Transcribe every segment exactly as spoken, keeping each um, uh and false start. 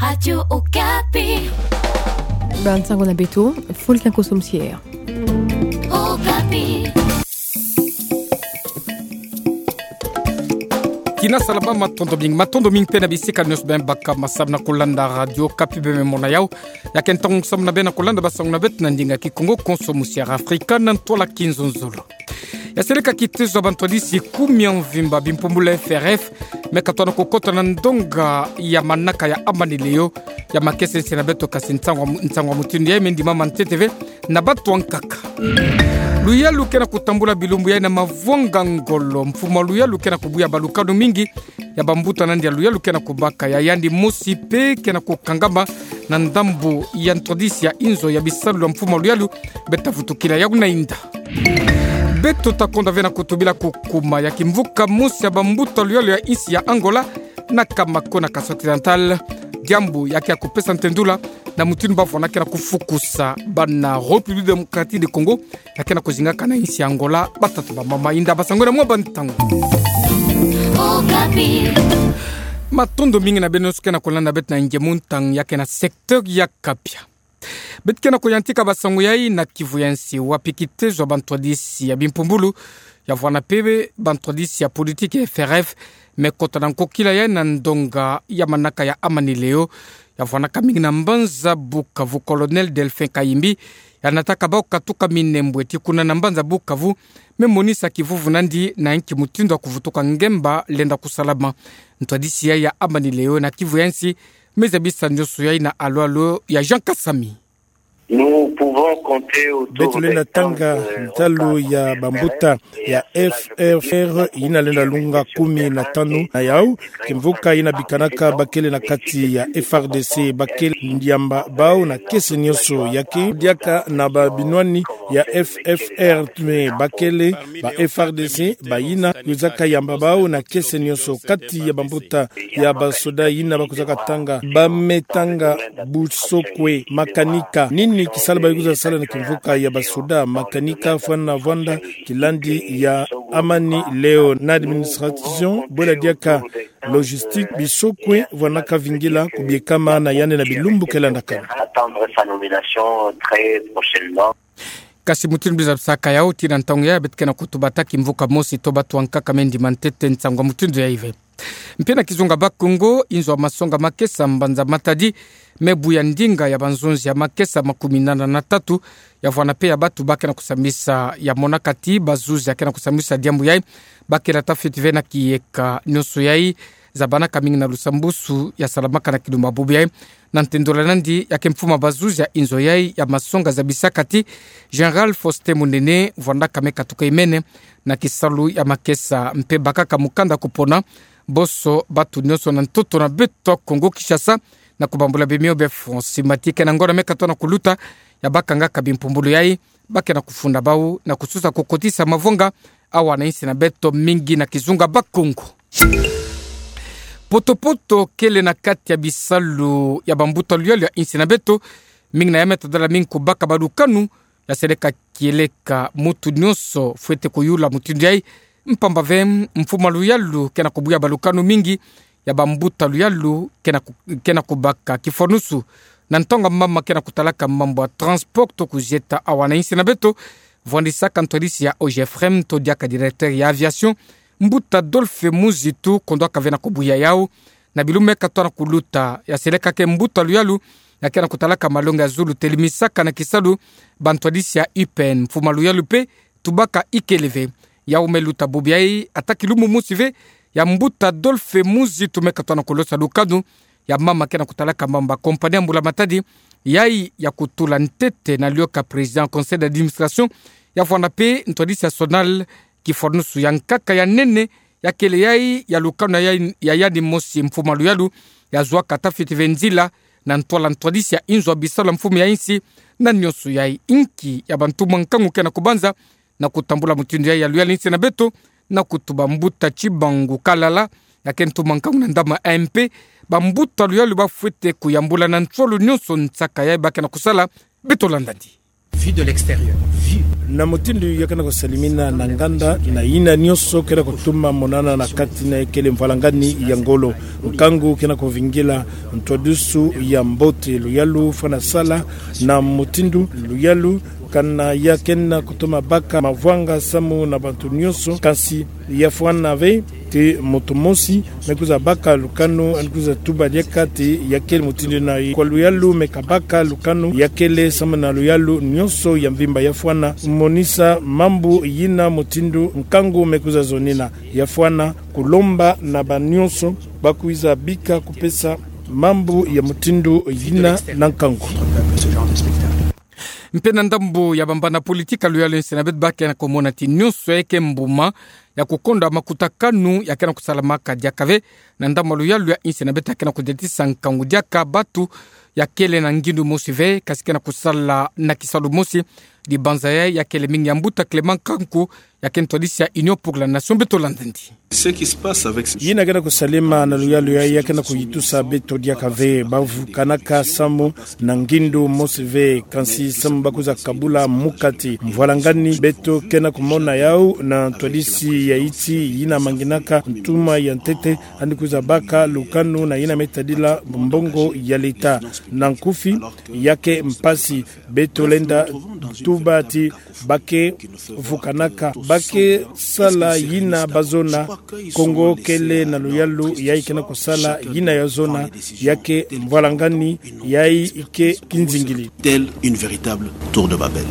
Radio Okapi. Ba nsango na beto, Fulkin Kosom Sier. Okapi. Tina salama, matondo mingi, matondo mingi mpe na bisika nyonso bemba ka masamu na kulanda Radio Okapi. Bembe mona yau. Ya ke ntangu samu na bê na kulanda ba nsango na beto na ndinga Kikongo, Konso Musiara Afrika na ntwala Kinzonzolo. Ya seleka kitezo ya bantwadisi kumi ya mvimba bimpumbulu ya F R F, me katona kukota na ndonga ya manaka ya Amani Leo, ya makesa ya nsi na beto, kasi nsangu, nsangu ya mutindu yayi me ndimama ntete ve na batu ankaka. Luyalu ke na kutambula bilumbu yayi na mavwanga ngolo. Mfumu a luyalu ke na kubuya balukanu mingi ya bambuta nandi ya luyalu ke na kubaka. Ya yandi mosi mpe ke na kukangama na ndambu ya ntwadisi ya inzo ya bisalu ya mfumu a luyalu, beta vutukila yau na inda. Beto ta konda ve na kutubila kukuma ya kimvuka mosi ya bambuta luyalu ya insi ya Angola, na Kamako na Kasai Occidental, diambu ya ke ya kupesa ntendula na mutindu bavwanda ke na kufukusa bana République Démocratique du Congo ya ke na kuzingaka na insi ya Angola, batata, bamama. Inda ba sango na mwa ba ntangu. Okapi. Matondo mingi na beno nyonso ke na kulanda beto na nge mu ntangu ya ke na secteur ya Kapia. Beto ke na kuyantika ba sango yayi na kivu ya nsi, wapi kitezo ya bantwadisi ya bimpumbulu, ya vwanda mpe bantwadisi ya politiki ya F R F, me kota na nkokila yayi na ndonga ya manaka ya Amani Leo, ya vwandaka mingi na mbanza Bukavu. Colonel Delphin Kayimbi, ya nataka bau katuka Minembwe tii kuna na mbanza Bukavu, me monisa kivuvu nandi na inki mutindu ya kuvutuka ngemba lenda kusalama. Ntwadisi yayi ya Amani Leo na kivu ya nsi, me zabisa nyonso yayi na alolo ya Jean Kasami. Nous pouvons compter autour... Beto lenda tanga ntalu ya bambuta ya F R F yina lenda lunga kumi na tanu. Na yau, kimvuka yina bikanaka bakele na kati ya F R D C, bakele yamba bau na kiese nyonso. Ya ke diaka na babinwani ya F F R, me bakele ba F R D C bayina kwizaka yamba bau na kiese nyonso. Kati ya bambuta ya basoda yina bakwizaka tanga, bame tanga busokwe, makanika. Nini kisalu ba kwiza sala na kimvuka ya basoda, makanika, fwana vwanda kilandi ya Amani Leo? Na administration, bwela diaka logistique, bisokwe vwanaka vingila kubiekama na yandi na bilumbu ke landaka. Attendre sa nomination très prochainement. Kasi mutindu biza bisaka yau, tii na ntangu yayi beto ke na kutuba ta kimvuka mosi to batu ankaka me ndima ntete nsangu ya mutindu yayi ve. Mpe na kizunga Bas-Congo, inzo ya masonga makesa mbanza Matadi me buya ndinga ya banzonzi ya makesa makumi nana na tatu, ya vwanda mpe ya batu ba ke na kusambisa, ya monaka tii bazuzi ya ke na kusambisa diambu yayi, ba kela ta fioti ve na kiyeka. Nyonso yayi zabanaka mingi na lusambusu ya salamaka na kilumbu ya bubu yayi. Na ntendula nandi ya ke mfumu a bazuzi ya inzo yayi ya masonga zabisaka tii Général Faustin Munene vwandaka me katuka imene na kisalu ya makesa mpe bakaka mukanda kupona boso batu nyonso na ntoto na beto Kongo Kinshasa, na kubambula bimio bia France. Mati ke na ngonda me katona kuluta, ya bakangaka bimpumbulu yayi ba ke na kufunda bau na kusosa kukotisa mavwanga awa na insi na beto, mingi na kizunga Bas-Congo. Poto-poto kele na kati ya bisalu ya bambuta luyalu ya insi na beto, mingi na yame tadala mingi kubaka balukanu, ya seleka kieleka mutu nyonso fwete kuyula mutindu yayi, mpamba ve mfumu a luyalu ke na kubuya balukanu mingi ya bambuta luyalu ke na ku-, ke na kubaka. Kifwanusu, na ntangu mama ke na kutalaka mambu ya transport to kuzieta awa na insi na beto, vwandisaka ntwadisi ya OGFREM to diaka directeur ya aviation, mbuta Adolphe Muzitu, kondwaka ve na kubuya yau na bilumbu me katona kuluta. Ya seleka ke mbuta luyalu ya ke na kutalaka malongi ya zulu, telimisaka na kisalu bantwadisi ya U P N. Mfumu a luyalu mpe tubaka ikele ve. Yau me luta bubu yayi, ata kilumbu mosi ve, ya mbuta Adolphe Muzitu me katona kulosa lukanu ya mama ke na kutalaka mambu ya compagnie ya mbula-matadi yayi ya kutula ntete na liyoka président conseil d'administration, ya vwanda mpe ntwadisi ya SONAL. Kifwanusu ya nkaka ya nene ya kele yayi ya lukanu ya, ya yandi mosi, mfumu a luyalu ya zwa kata fioti ve nzila na ntwala ntwadisi ya inzo ya bisalu ya mfumu ya insi. Na nyonso yayi, inki ya bantumwa nkangu ke na kubanza na kutambula mutindu yayi ya luyalu ya insi na beto? Na kutuba mbuta Tshibangu Kalala, ya ke ntumwa nkangu na ndambu A M P, bambuta luyalu ba fwete kuyambula na nsolo nyonso nsaka yayi ba ke na kusala. Beto landandi. Vue de l'extérieur. Vue. Na mutindu ya ke na kusalimina na nganda, na yina nyonso ke na kutuma monana na kati na ekele mvwalangani ya ngolo. Nkangu ke na kuvingila ntwadisi ya mbote, luyalu fwana sala na mutindu, luyalu kana ya ke na kutuma baka mavwanga samu na bantu nyonso, kansi ya fwana ve te muntu mosi me kwiza baka lukanu, ani kwiza tuba diaka te ya kele mutindu na kwa luyalu me kabaka lukanu ya kele samu na luyalu nyonso ya mvimba. Ya fwana monisa mambu yina mutindu nkangu me kwiza zonina. Ya fwana kulomba na banyonso ba kwiza bika kupesa mambu ya mutindu yina na nkangu. Mpe na ndambu ya bambana politika, luyalu yinsi na beto ba ke na kumona ti nyonso ya ke mbuma ya kukonda makutakanu ya ke na kusalamaka diaka ve. Na ndambu ya luyalu yinsi na beto ya ke na kudiatisa nkangu diaka batu ya kele na ngindu mosi ve, kansi ke na kusala na kisalu mosi. Dibanza yayi ya kele mingi ya mbuta Clément Nkanku, ya ke ntwadisi ya Union pour la Nation, beto landa ndi. Yina ke na kusalema na luyalu yayi ya ke na kuyitusa beto diaka ve. Ba vukanaka samu na ngindu mosi ve, kansi samu ba kwiza kabula mukati. Mvwalangani beto ke na kumona yau na ntwadisi ya yiti yina manginaka ntuma ya ntete, ani kwiza baka lukanu na yina me tadila mbongo ya leta. Na nkufi, ya ke mpasi. Beto lenda tuba ti ba ke vukanaka, ba ke sala yina ba zona. Kongo kele na luyalu yayi ke na kusala yina ya zona, ya ke mvwalangani yayi ke kinzingili. Telle une véritable tour de Babel.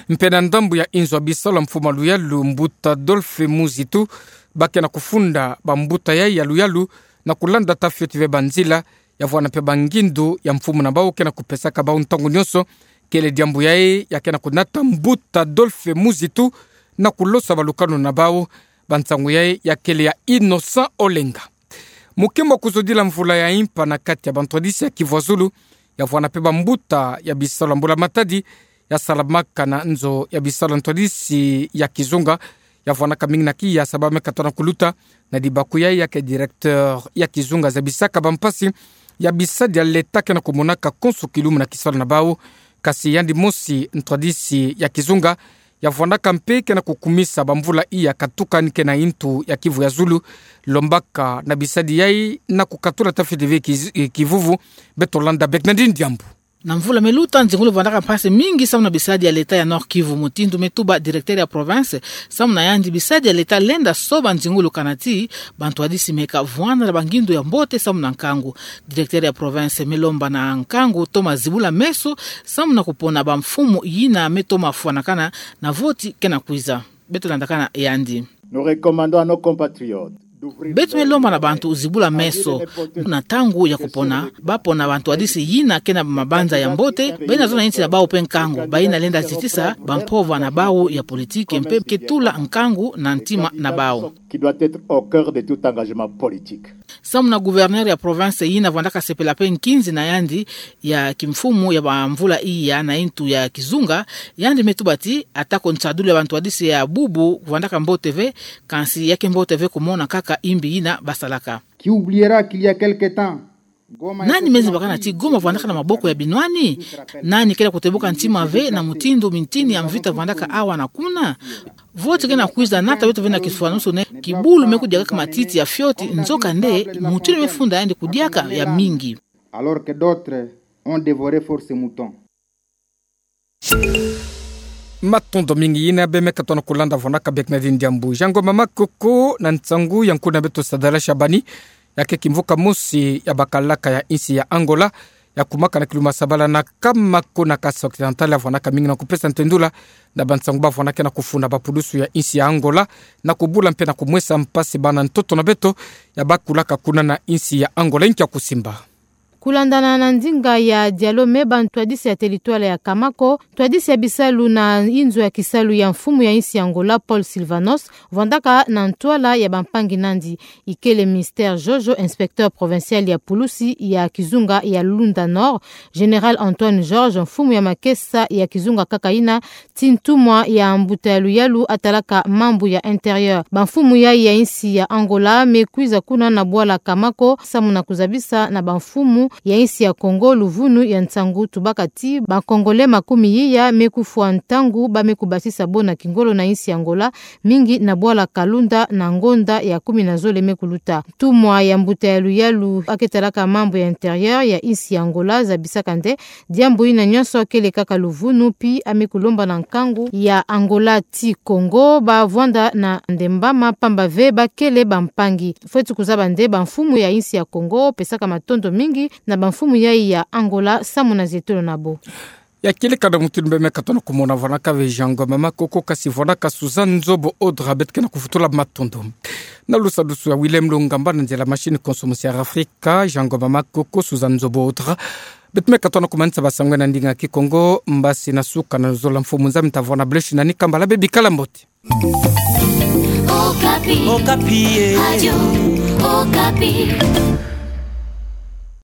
Mpe na ndambu ya inzo ya bisalu ya mfumu a luyalu, mbuta Adolphe Muzitu, ba ke na kufunda bambuta yayi ya luyalu na kulanda ta fioti ve banzila ya vwanda mpe bangindu ya mfumu na bau ke na kupesaka bau ntangu nyonso. Kele diambu yayi ya ke na kunata mbuta Adolphe Muzitu na kulosa balukanu na bau. Bansangu yayi ya kele ya Innocent Olenga. Mukimbo kuzodila mvula ya impa na kati ya bantwadisi ya Kivu ya Zulu, ya vwanda mpe bambuta ya bisalu ya mbula matadi ya salamaka na nzo ya bisalu ya ntwadisi ya kizunga, ya vwandaka mingi na kiya sababu me katona kuluta na dibaku yayi ya ke directeur ya kizunga zabisaka bampasi ya bisadi ya leta ke na kumonaka konso kilumbu na kisalu na bau. Kansi yandi mosi ntwadisi ya kizunga ya vwandaka mpe ke na kukumisa bamvula iya katuka ni ke na intu ya Kivu ya Zulu, lombaka na bisadi yayi na kukatula ta fioti ve kiz-, eh, kivuvu. Beto landa bek na ndi diambu. Na mvula me luta, nzingulu vwandaka mpasi mingi samu na bisadi ya leta ya Nord-Kivu, mutindu me tuba directeur ya province. Samu na yandi, bisadi ya leta lenda soba nzingulu kana ti bantwadisi me kavwanda na bangindu ya mbote samu na nkangu. Directeur ya province me lomba na nkangu toma zibula meso samu na kupona bamfumu yina me toma fwanakana na voti ke na kwiza. Beto landakana yandi. Nous recommandons à nos compatriotes d'ouvrir... Beto me lomba na bantu zibula meso na ntangu ya kupona, ba pona bantwadisi yina ke na mabanza ya mbote, bayina zona insi ya bau mpe nkangu, bayina lenda zitisa bampova na bau ya politiki mpe ke tula nkangu na ntima na bau. Qui doit être au cœur de tout engagement politique. Samu na gouverneur ya province yina vwandaka sepela mpe nkinzi na yandi ya kimfumu ya bamvula iya na intu ya kizunga, yandi me tuba ti atako nsadulu ya bantwadisi ya bubu vwandaka mbote ve, kansi ya ke mbote ve kumona kaka imbi yina basalaka. Qui oubliera qu'il y a quelque temps, Goma... Nani me zimbakana ti Goma vwandaka na maboko ya binwani? Nani ke na kutebuka ntima ve na mutindu mintini ya mvita vwandaka awa na kuna? Voti ke na kwiza nata beto ve na kiswanusu nde kibulu me kudiakaka matiti ya fioti, nzokande mutindu me funda yandi kudiaka ya mingi. Alors que d'autres ont dévoré force mouton. Matondo mingi. Yina bê me katona kulanda vwandaka bê kina diambu. Jean Ngoma Makoko na nsangu ya nkuna beto Sadala Shabani, ya ke kimvuka mosi ya bakalaka ya insi ya Angola, ya kumaka na kiluma sabala na Kamako na Kasai Occidental, ya vwandaka mingi na kupesa ntendula na bansangu ba vwandaka na kufuna bapudusu ya insi ya Angola, na kubula mpe na kumwesa mpasi bana ntoto na beto ya bakulaka kuna na insi ya Angola. Inki ya kusimba? Kulandana na ndinga ya dialogue me bantwadisi ya teritware ya Kamako, ntwadisi ya bisalu na inzo ya kisalu ya mfumu ya insi ya Angola, Paul Silvanos, vwandaka na ntwala ya bampangi nandi. Ikele Mister Jojo, inspecteur provincial ya pulusi ya kizunga ya Lunda Nord, Général Antoine Georges, mfumu ya makesa ya kizunga kaka ina, ti ntumwa ya mbuta ya luyalu atalaka mambu ya intérieur. Bamfumu yayi ya insi ya Angola me kwiza kuna na bwala Kamako, samu na kuzabisa na bamfumu ya insi ya Congo luvunu ya nsangu tubaka ti ba Congolais makumi iya me kufwa ntangu ba me kubasisa bo na kingolo na insi ya Angola, mingi na bwala Kalunda na ngonda ya kumi na zole me kuluta. Ntumwa ya mbuta ya luyalu ake talaka mambu ya intérieur ya insi ya Angola zabisaka nde diambu ina nyonso kele kaka luvunu pi a me kulomba na nkangu ya Angola ti Congo ba vwanda na ndembama pamba ve ba kele bampangi. Fweti kuzaba nde bamfumu ya insi ya Congo pesaka matondo mingi na bamfumu yai ya Angola samu na zietolo na bo. Ya kele ka na mutindu beme katona kumona vwanaka ve Jean Ngoma Makoko kasi vwanaka Suzanne Nzobo Odra, beto ke na kufutula matondo. Na lusadusu ya Willem Lungamba na nzila machine consommation ya Afrika, Jean Ngoma Makoko, Suzanne Nzobo Odra. Beto me katona kumanisa ba sangwe na ndinga Kikongo, mbasi na suka na zola mfumu Nzambi ta vwana bleshi na ni kambala be bikala mbote. Okapi. Okapi, eh. Radio Okapi.